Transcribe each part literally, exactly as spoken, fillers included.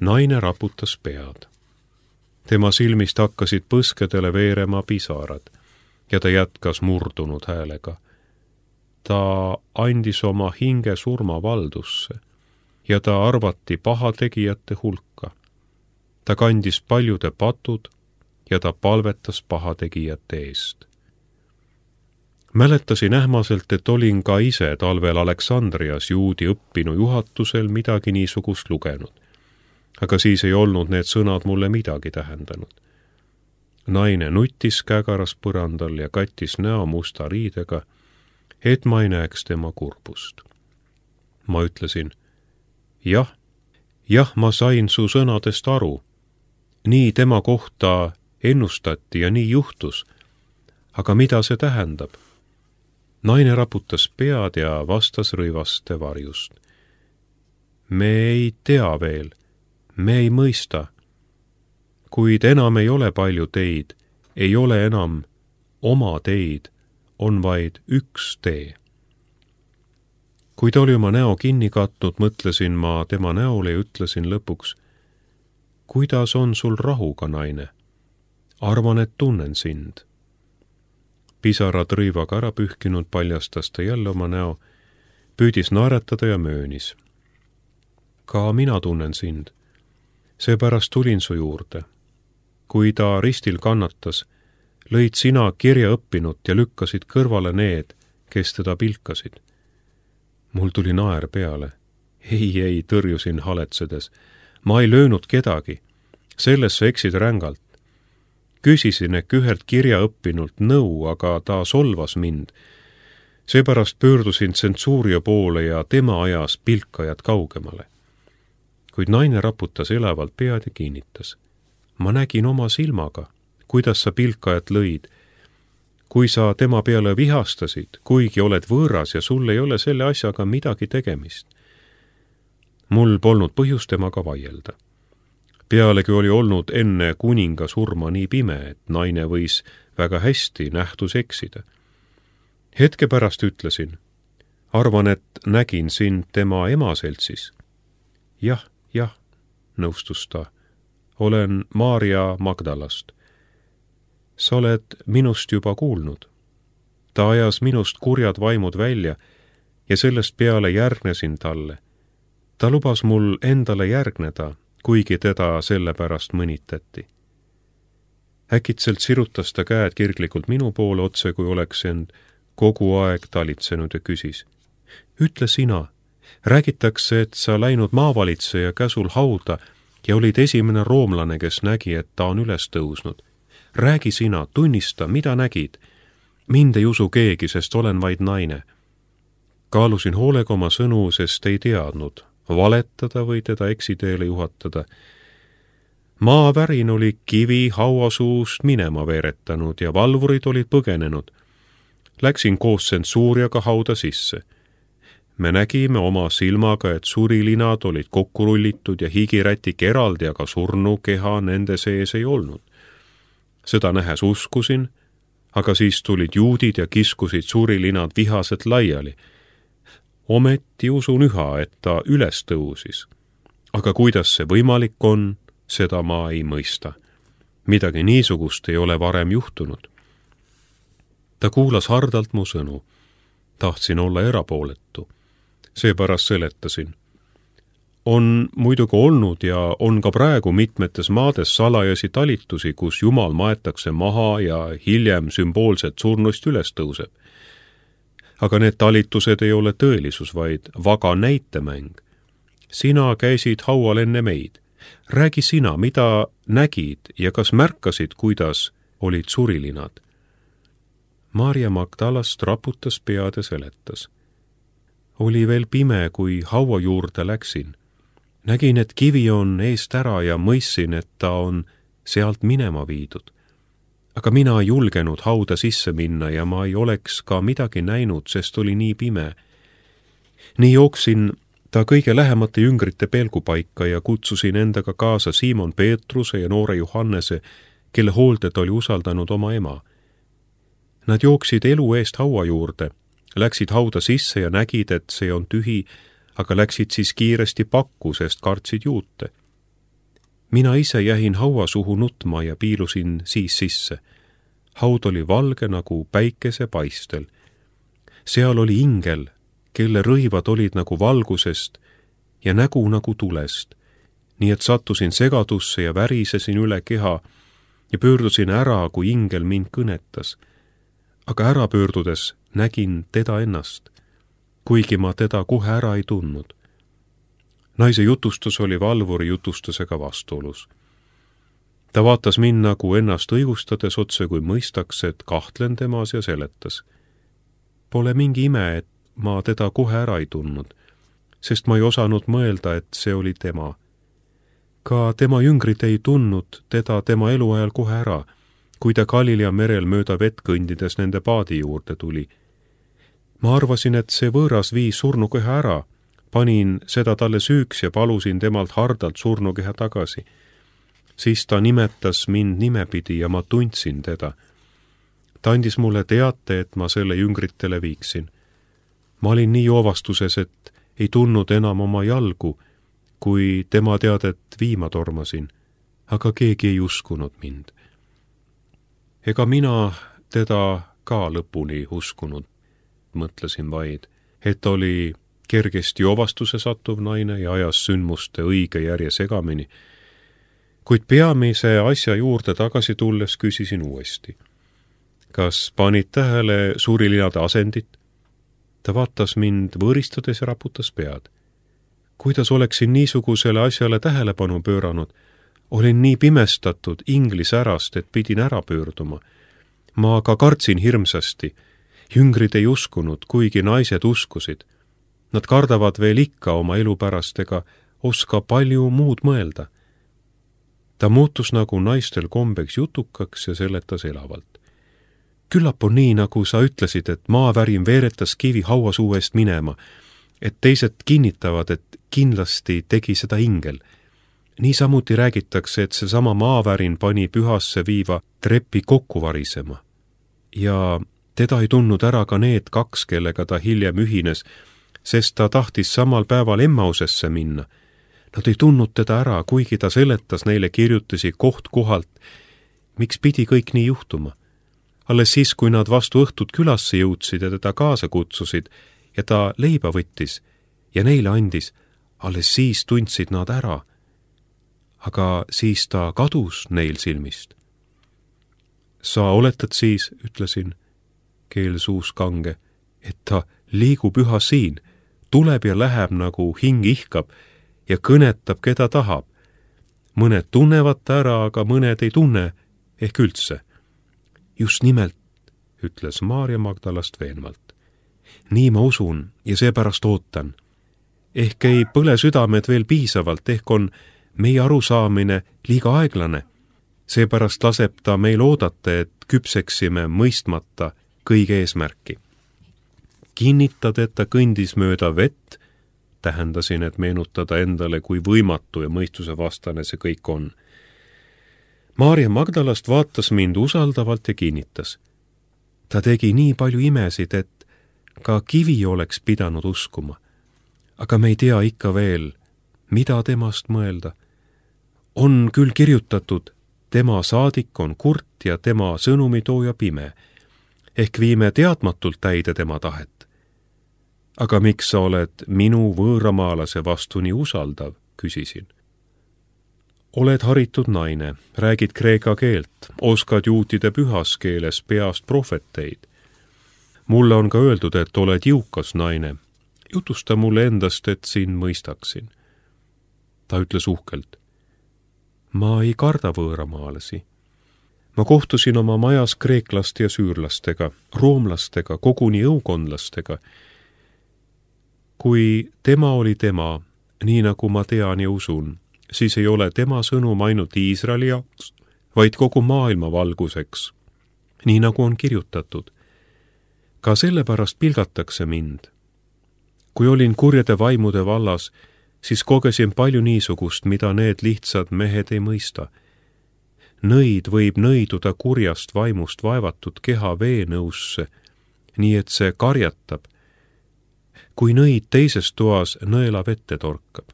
Naine raputas pead. Tema silmist hakkasid põskedele veerema pisarad ja ta jätkas murdunud häälega. Ta andis oma hinge surmavaldusse ja ta arvati pahategijate hulka. Ta kandis paljude patud ja ta palvetas pahategijate eest. Mäletasin ähmaselt, et olin ka ise talvel Aleksandrias juudi õppinu juhatusel midagi niisugust lugenud. Aga siis ei olnud need sõnad mulle midagi tähendanud. Naine nutis kägaras põrandal ja kattis näo musta riidega, et ma ei näeks tema kurbust. Ma ütlesin, jah, jah, ma sain su sõnadest aru. Nii tema kohta ennustati ja nii juhtus. Aga mida see tähendab? Naine raputas pead ja vastas rõivaste varjust. Me ei tea veel, me ei mõista. Kuid enam ei ole palju teid, ei ole enam oma teid, on vaid üks tee. Kui ta oli oma näo kinni katnud, mõtlesin ma tema näole ja ütlesin lõpuks, kuidas on sul rahuga, naine? Arvan, et tunnen sind. Pisarad rõivaga ära pühkinud paljastas ta jälle oma näo, püüdis naeratada ja möönis. Ka mina tunnen sind. Seepärast tulin su juurde. Kui ta ristil kannatas, lõid sina kirja õppinut ja lükkasid kõrvale need, kes teda pilkasid. Mul tuli naer peale. Ei, ei, tõrjusin haletsedes. Ma ei löönud kedagi. Selles sa eksid rängalt. Küsisin ehk ühelt kirja õppinult nõu, aga ta solvas mind. Seepärast pöördusin tsensuuria poole ja tema ajas pilkajad kaugemale. Kuid naine raputas elavalt pead ja kinnitas. Ma nägin oma silmaga, kuidas sa pilkajat lõid. Kui sa tema peale vihastasid, kuigi oled võõras ja sul ei ole selle asjaga midagi tegemist. Mul polnud põhjust temaga vaielda. Pealegi oli olnud enne kuninga surma nii pime, et naine võis väga hästi nähtus eksida. Hetke pärast ütlesin, arvan, et nägin sind tema ema seltsis. Jah, jah, nõustus ta. Olen Maarja Magdalast. Sa oled minust juba kuulnud. Ta ajas minust kurjad vaimud välja ja sellest peale järgnesin talle. Ta lubas mul endale järgneda, kuigi teda selle pärast mõnitati. Äkitselt sirutas ta käed kirglikult minu poole otse, kui oleks end kogu aeg talitsenud ja küsis. Ütle sina, räägitakse, et sa läinud maavalitseja käsul hauda ja olid esimene roomlane, kes nägi, et ta on üles tõusnud. Räägi sina, tunnista, mida nägid. Mind ei usu keegi, sest olen vaid naine. Kaalusin hoolega oma sõnu, sest ei teadnud, valetada või teda eksiteele juhatada. Maavärin oli kivi hauasuust minema veeretanud ja valvurid olid põgenenud. Läksin koos tsensuuriaga hauda sisse. Me nägime oma silmaga, et surilinad olid kokku rullitud ja higirätik eraldi, aga surnu keha nende sees ei olnud. Seda nähes uskusin, aga siis tulid juudid ja kiskusid surilinad vihaselt laiali. Ometi usun üha, et ta üles tõusis. Aga kuidas see võimalik on, seda ma ei mõista. Midagi niisugust ei ole varem juhtunud. Ta kuulas hardalt mu sõnu. Tahtsin olla erapooletu. Seepärast seletasin. On muidugi olnud ja on ka praegu mitmetes maades salajasi talitusi, kus Jumal maetakse maha ja hiljem sümboolset surnust üles tõuseb. Aga need talitused ei ole tõelisus, vaid vaga näitemäng. Sina käisid haual enne meid. Räägi sina, mida nägid ja kas märkasid, kuidas olid surilinad. Maarja Magdalast raputas pead ja seletas. Oli veel pime, kui haua juurde läksin. Nägin, et kivi on eest ära ja mõissin, et ta on sealt minema viidud. Aga mina ei julgenud hauda sisse minna ja ma ei oleks ka midagi näinud, sest oli nii pime. Nii jooksin ta kõige lähemate jüngrite pelgupaika ja kutsusin endaga kaasa Siimon Peetruse ja noore Johannese, kelle hooldet oli usaldanud oma ema. Nad jooksid elu eest haua juurde, läksid hauda sisse ja nägid, et see on tühi, aga läksid siis kiiresti pakku, sest kartsid juute. mina ise jäin haua suhu nutma ja piilusin siis sisse. Haud oli valge nagu päikese paistel. Seal oli ingel, kelle rõivad olid nagu valgusest ja nägu nagu tulest, nii et sattusin segadusse ja värisesin üle keha ja pöördusin ära, kui ingel mind kõnetas. Aga ära pöördudes nägin teda ennast, kuigi ma teda kohe ära ei tundnud. Naise jutustus oli valvuri jutustusega vastuolus. Ta vaatas mind nagu ennast õigustades otse, kui mõistaks, et kahtlen temas ja seletas. Pole mingi ime, et ma teda kohe ära ei tundnud, sest ma ei osanud mõelda, et see oli tema. Ka tema jüngrid ei tundnud teda tema eluajal kohe ära, kui ta Galilea merel mööda vett kõndides nende paadi juurde tuli. Ma arvasin, et see võõras viis surnukeha ära, panin seda talle süüks ja palusin temalt hardalt surnukeha tagasi. Siis ta nimetas mind nimepidi ja ma tundsin teda. Ta andis mulle teate, et ma selle jüngritele viiksin. Ma olin nii joovastuses, et ei tundnud enam oma jalgu, kui tema teadet viima tormasin, aga keegi ei uskunud mind. Ega mina teda ka lõpuni uskunud, mõtlesin vaid, et oli kergesti joovastuse sattuv naine ja ajas sündmuste õige järje segamini, kuid peamise asja juurde tagasi tulles küsisin uuesti. Kas panid tähele suurilinade asendit? Ta vaatas mind võõristades ja raputas pead. Kuidas oleksin niisugusele asjale tähelepanu pööranud? Olin nii pimestatud inglis ärast, et pidin ära pöörduma. Ma ka kartsin hirmsasti. Jüngrid ei uskunud, kuigi naised uskusid. Nad kardavad veel ikka oma elu pärast ega oska palju muud mõelda. Ta muutus nagu naistel kombeks jutukaks ja seletas elavalt. Küllap on nii, nagu sa ütlesid, et maavärin veeretas kivi hauasuuest minema, et teised kinnitavad, et kindlasti tegi seda ingel. Niisamuti räägitakse, et seesama maavärin pani pühasse viiva trepi kokku varisema. Ja teda ei tundnud ära ka need kaks, kellega ta hiljem ühines, sest ta tahtis samal päeval Emmausesse minna. Nad ei tundnud teda ära, kuigi ta seletas neile kirjutisi koht kohalt, miks pidi kõik nii juhtuma. Alles siis, kui nad vastu õhtut külasse jõudsid ja teda kaasa kutsusid ja ta leiba võttis ja neile andis, alles siis tundsid nad ära. Aga siis ta kadus neil silmist. Sa oletad siis, ütlesin, keel suus kange, et ta liigub üha siin, tuleb ja läheb nagu hing ihkab ja kõnetab, keda tahab. Mõned tunnevad ta ära, aga mõned ei tunne ehk üldse. Just nimelt, ütles Maarja Magdalast veenvalt. Nii ma usun ja seepärast ootan. Ehk ei põle südamed veel piisavalt, ehk on meie arusaamine liiga aeglane. Seepärast laseb ta meil oodata, et küpseksime mõistmata kõige eesmärki. Kinnitad, et ta kõndis mööda vett, tähendasin, et meenutada endale, kui võimatu ja mõistuse vastane see kõik on. Maarja Magdalast vaatas mind usaldavalt ja kinnitas. Ta tegi nii palju imesid, et ka kivi oleks pidanud uskuma. Aga me ei tea ikka veel, mida temast mõelda. On küll kirjutatud, tema saadik on kurt ja tema sõnumitooja pime, ehk viime teadmatult täide tema tahet. Aga miks sa oled minu võõramaalase vastu nii usaldav, küsisin. Oled haritud naine, räägid kreeka keelt, oskad juutide pühas keeles peast prohveteid. Mulle on ka öeldud, et oled jõukas naine. Jutusta mulle endast, et sind mõistaksin. Ta ütles uhkelt. Ma ei karda võõramaalasi. Ma kohtusin oma majas kreeklaste ja süürlastega, roomlastega, koguni õukondlastega. Kui tema oli tema, nii nagu ma tean ja usun, siis ei ole tema sõnum ainult Iisraeli jaoks, vaid kogu maailma valguseks, nii nagu on kirjutatud. Ka sellepärast pilgatakse mind. Kui olin kurjade vaimude vallas, siis kogesin palju niisugust, mida need lihtsad mehed ei mõista. Nõid võib nõiduda kurjast vaimust vaevatud keha veenõusse, nii et see karjatab, kui nõid teises toas nõela vette torkab.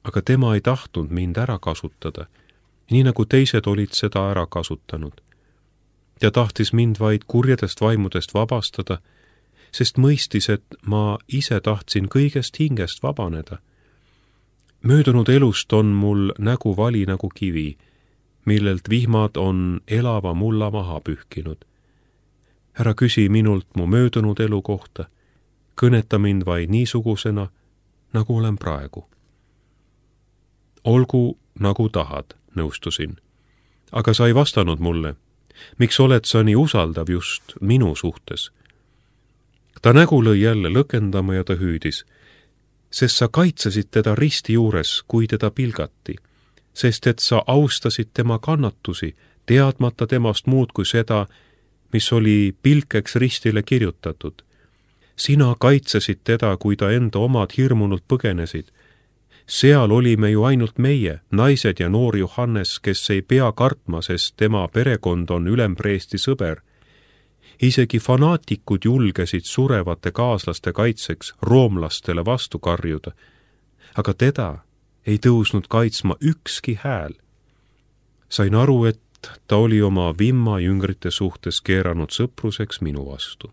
aga tema ei tahtnud mind ära kasutada, nii nagu teised olid seda ära kasutanud. Ta tahtis mind vaid kurjadest vaimudest vabastada, sest mõistis, et ma ise tahtsin kõigest hingest vabaneda. Möödunud elust on mul nägu vali nagu kivi, millelt vihmad on elava mulla maha pühkinud. Ära küsi minult mu möödunud elu kohta, kõneta mind vaid niisugusena, nagu olen praegu. Olgu nagu tahad, nõustusin. Aga sa ei vastanud mulle. Miks oled sa nii usaldav just minu suhtes? Ta nägu lõi jälle lõkendama ja ta hüüdis, sest sa kaitsesid teda risti juures, kui teda pilgati, sest et sa austasid tema kannatusi, teadmata temast muud kui seda, mis oli pilkeks ristile kirjutatud. Sina kaitsesid teda, kui ta enda omad hirmunult põgenesid. Seal olime ju ainult meie, naised ja noor Johannes, kes ei pea kartma, sest tema perekond on ülempreesti sõber. Isegi fanaatikud julgesid surevate kaaslaste kaitseks roomlastele vastu karjuda, aga teda ei tõusnud kaitsma ükski hääl. Sain aru, et ta oli oma vimma jüngrite suhtes keeranud sõpruseks minu vastu.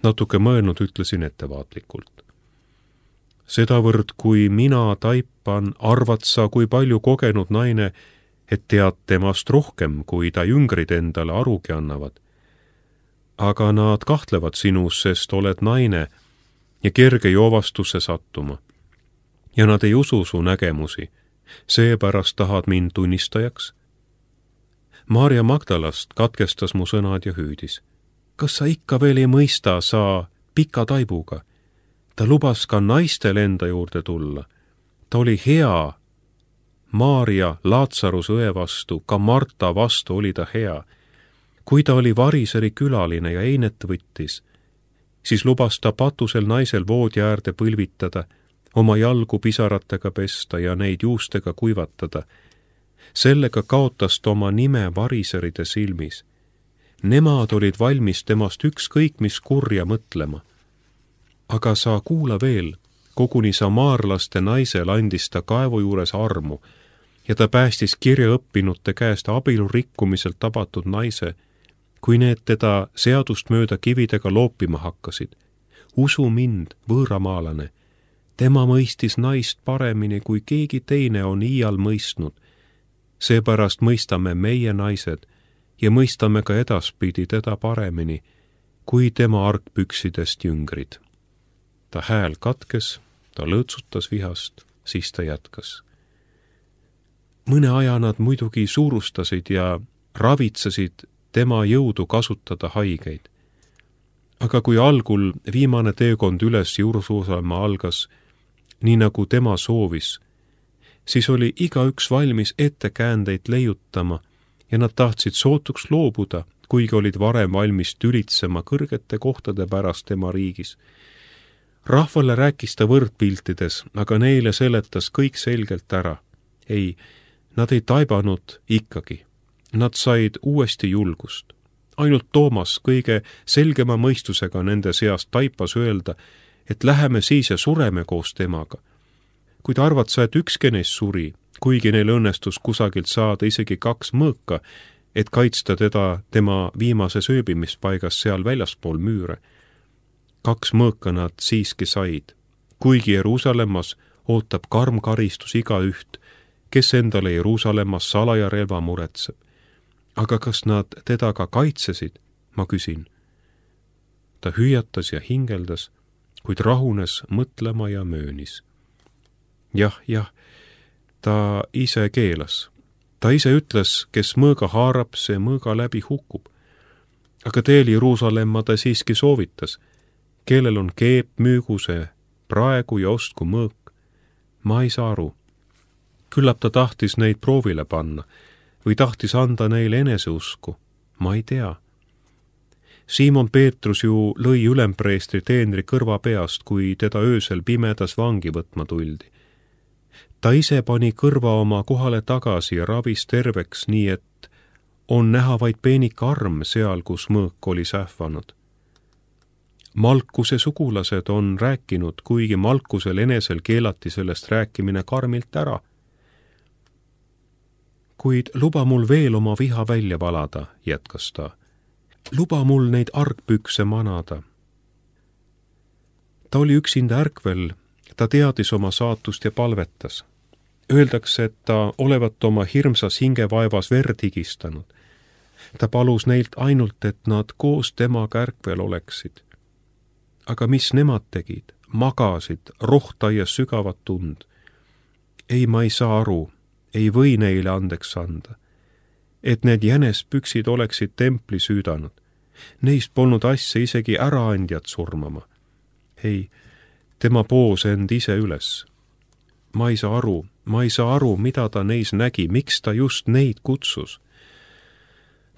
Natuke mõelnud ütlesin ettevaatlikult. Sedavõrd, kui mina taipan, arvad sa, kui palju kogenud naine, et tead temast rohkem, kui ta jüngrid endale arugi annavad. Aga nad kahtlevad sinus, sest oled naine ja kerge joovastusse sattuma. Ja nad ei usu su nägemusi, seepärast tahad mind tunnistajaks. Maarja Magdalast katkestas mu sõnad ja hüüdis. Kas sa ikka veel ei mõista, sa pika taibuga? Ta lubas ka naistel enda juurde tulla. Ta oli hea. Maarja Laatsaruse õe vastu, ka Marta vastu oli ta hea. Kui ta oli variseri külaline ja einet võttis, siis lubas ta patusel naisel voodi äärde põlvitada, oma jalgu pisaratega pesta ja neid juustega kuivatada. Sellega kaotas ta oma nime variseride silmis. Nemad olid valmis temast ükskõik mis kurja mõtlema. Aga sa kuula veel, koguni samaarlaste naisel andis ta kaevu juures armu ja ta päästis kirjaõppinute käest abielu rikkumiselt tabatud naise, kui need teda seadust mööda kividega loopima hakkasid. Usu mind, võõramaalane, tema mõistis naist paremini, kui keegi teine on iial mõistnud. Seepärast mõistame meie naised ja mõistame ka edaspidi teda paremini, kui tema argpüksidest jüngrid. Ta hääl katkes, ta lõõtsutas vihast, siis ta jätkas. Mõne aja nad muidugi suurustasid ja ravitsesid tema jõudu kasutada haigeid. Aga kui algul viimane teekond üles Jeruusalemma algas, nii nagu tema soovis, siis oli igaüks valmis ettekäändeid leiutama ja nad tahtsid sootuks loobuda, kuigi olid varem valmis tülitsema kõrgete kohtade pärast tema riigis. Rahvale rääkis ta võrdpiltides, aga neile seletas kõik selgelt ära. Ei, nad ei taibanud ikkagi. Nad said uuesti julgust. Ainult Toomas kõige selgema mõistusega nende seast taipas öelda, et läheme siis ja sureme koos temaga. Kuid arvad sa, et ükski neist suri, kuigi neil õnnestus kusagilt saada isegi kaks mõõka, et kaitsta teda tema viimases ööbimispaigas seal väljaspool müüre. Kaks mõõka nad siiski said, kuigi Jeruusalemmas ootab karm karistus igaüht, kes endale Jeruusalemmas salaja relva muretseb. Aga kas nad teda ka kaitsesid, ma küsin. Ta hüüatas ja hingeldas, kuid rahunes mõtlema ja möönis. Jah, jah, ta ise keelas. Ta ise ütles, kes mõõga haarab, see mõõga läbi hukub. Aga teel Jeruusalemma ta siiski soovitas, kellel on keep, müügu see praegu ja ostku mõõk. Ma ei saa aru. Küllap ta tahtis neid proovile panna või tahtis anda neile eneseusku. Ma ei tea. Siimon Peetrus ju lõi ülempreestri teenri kõrva peast, kui teda öösel pimedas vangi võtma tuldi. Ta ise pani kõrva oma kohale tagasi ja ravis terveks, nii et on näha vaid peenik arm seal, kus mõõk oli sähvanud. Malkuse sugulased on rääkinud, kuigi Malkusel enesel keelati sellest rääkimine karmilt ära. Kuid luba mul veel oma viha välja valada, jätkas ta. Luba mul neid argpükse manada. Ta oli üksinda ärkvel, ta teadis oma saatust ja palvetas. Öeldakse, et ta olevat oma hirmsas hingevaevas verd higistanud. Ta palus neilt ainult, et nad koos temaga ärkvel oleksid. Aga mis nemad tegid? Magasid, rohtaias sügavat tund. Ei, ma ei saa aru, ei või neile andeks anda. Et need jänespüksid oleksid templi süüdanud. Neist polnud asja isegi äraandjad surmama. Ei, tema poos end ise üles. Ma ei saa aru, ma ei saa aru, mida ta neis nägi, miks ta just neid kutsus.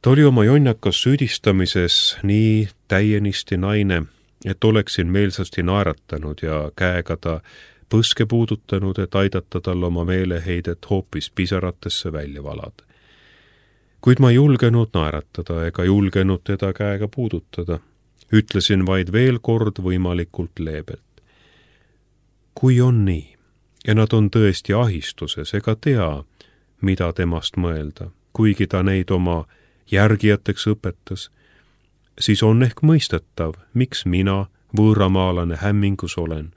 Ta oli oma jonnakas süüdistamises nii täienisti naine, et oleksin meelsasti naeratanud ja käega ta põske puudutanud, et aidata tal oma meeleheidet hoopis pisaratesse välja valada. Kuid ma ei julgenud naeratada ega julgenud teda käega puudutada. Ütlesin vaid veel kord võimalikult leebelt. Kui on nii, ja nad on tõesti ahistuses ega tea, mida temast mõelda, kuigi ta neid oma järgijateks õpetas, siis on ehk mõistetav, miks mina, võõramaalane, hämmingus olen.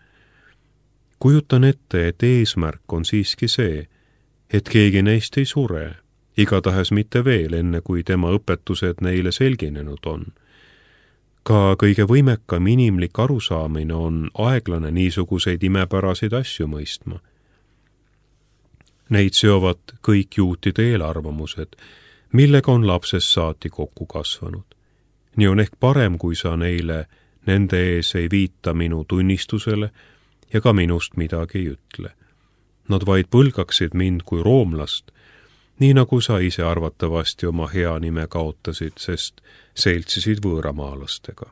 Kujutan ette, et eesmärk on siiski see, et keegi neist ei sure, igatahes mitte veel, enne kui tema õpetused neile selginenud on. Ka kõige võimekam inimlik arusaamine on aeglane niisuguseid imepäraseid asju mõistma. Neid seovad kõik juutide eelarvamused, millega on lapsest saati kokku kasvanud. Nii on ehk parem, kui sa neile nende ees ei viita minu tunnistusele ja ka minust midagi ei ütle. Nad vaid põlgaksid mind kui roomlast, nii nagu sa ise arvatavasti oma hea nime kaotasid, sest seltsisid võõramaalastega.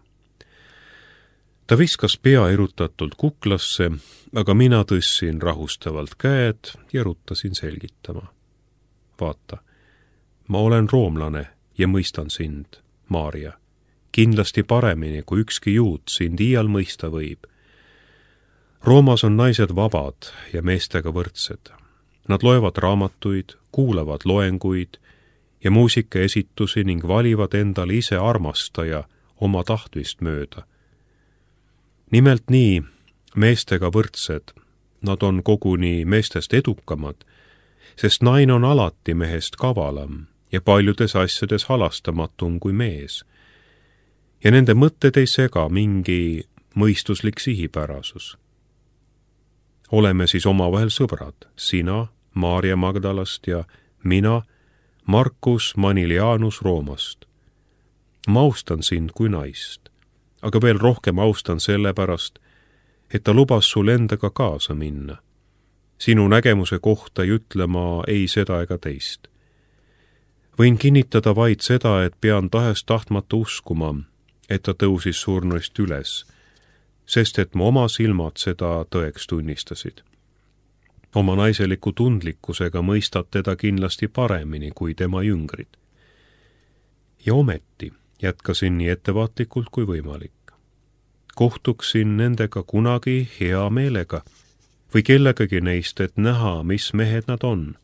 Ta viskas pea erutatult kuklasse, aga mina tõssin rahustavalt käed ja rutasin selgitama. Vaata, ma olen roomlane ja mõistan sind, Maarja, kindlasti paremini, kui ükski juut sind iial mõista võib. Roomas on naised vabad ja meestega võrdsed. Nad loevad raamatuid, kuulavad loenguid ja muusikaesitusi ning valivad endale ise armastaja oma tahtmist mööda. Nimelt nii, meestega võrdsed, nad on koguni meestest edukamad, sest naine on alati mehest kavalam ja paljudes asjades halastamatum kui mees. Ja nende mõtted ei sega mingi mõistuslik sihipärasus. Oleme siis omavahel sõbrad, sina, Maarja Magdalast ja mina, Markus Manilianus Roomast. Ma austan sind kui naist, aga veel rohkem austan sellepärast, et ta lubas sul endaga kaasa minna. Sinu nägemuse kohta ei ütle ma ei seda ega teist. Võin kinnitada vaid seda, et pean tahes tahtmata uskuma, et ta tõusis surnuist üles, sest et mu oma silmad seda tõeks tunnistasid. Oma naiseliku tundlikkusega mõistad teda kindlasti paremini kui tema jüngrid. Ja ometi jätkasin nii ettevaatlikult kui võimalik. Kohtuksin nendega kunagi hea meelega või kellegagi neist, et näha, mis mehed nad on.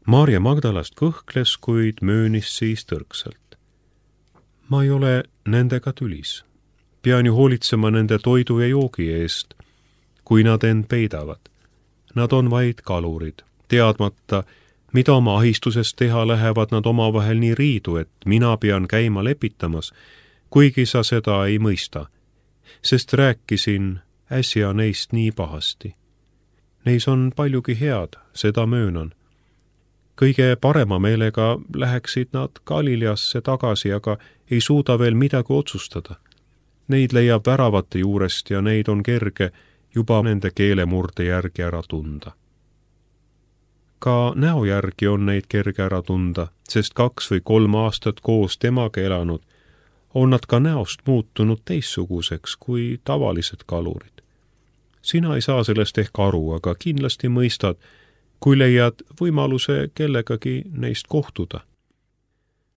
Maarja Magdalast kõhkles, kuid möönis siis tõrksalt. Ma ei ole nendega tülis. Pean ju hoolitsema nende toidu ja joogi eest, kui nad end peidavad. Nad on vaid kalurid, teadmata, mida oma ahistuses teha, lähevad nad omavahel nii riidu, et mina pean käima lepitamas, kuigi sa seda ei mõista, sest rääkisin äsja neist nii pahasti. Neis on paljugi head, seda möönan. Kõige parema meelega läheksid nad Galileasse tagasi, aga ei suuda veel midagi otsustada. Neid leiab väravate juurest ja neid on kerge juba nende keelemurde järgi ära tunda. Ka näo järgi on neid kerge ära tunda, sest kaks või kolm aastat koos temaga elanud, on nad ka näost muutunud teissuguseks kui tavalised kalurid. Sina ei saa sellest ehk aru, aga kindlasti mõistad, kui leiad võimaluse kellegagi neist kohtuda.